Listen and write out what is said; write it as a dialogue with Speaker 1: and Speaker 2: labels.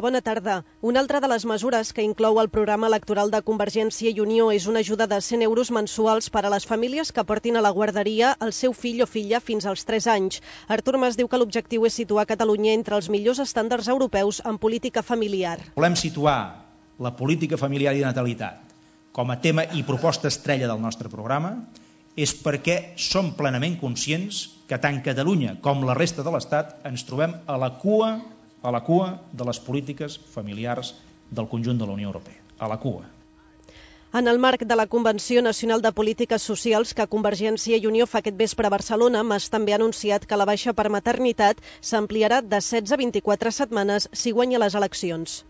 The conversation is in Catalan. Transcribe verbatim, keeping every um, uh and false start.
Speaker 1: Bona tarda. Una altra de les mesures que inclou el programa electoral de Convergència i Unió és una ajuda de cent euros mensuals per a les famílies que portin a la guarderia el seu fill o filla fins als tres anys. Artur Mas diu que l'objectiu és situar Catalunya entre els millors estàndards europeus en política familiar.
Speaker 2: Volem situar la política familiar i de natalitat com a tema i proposta estrella del nostre programa és perquè som plenament conscients que tant Catalunya com la resta de l'Estat ens trobem a la cua a la cua de les polítiques familiars del conjunt de la Unió Europea, a la cua.
Speaker 1: En el marc de la Convenció Nacional de Polítiques Socials que Convergència i Unió fa aquest vespre a Barcelona, Mas també ha anunciat que la baixa per maternitat s'ampliarà de setze a vint-i-quatre setmanes si guanya les eleccions.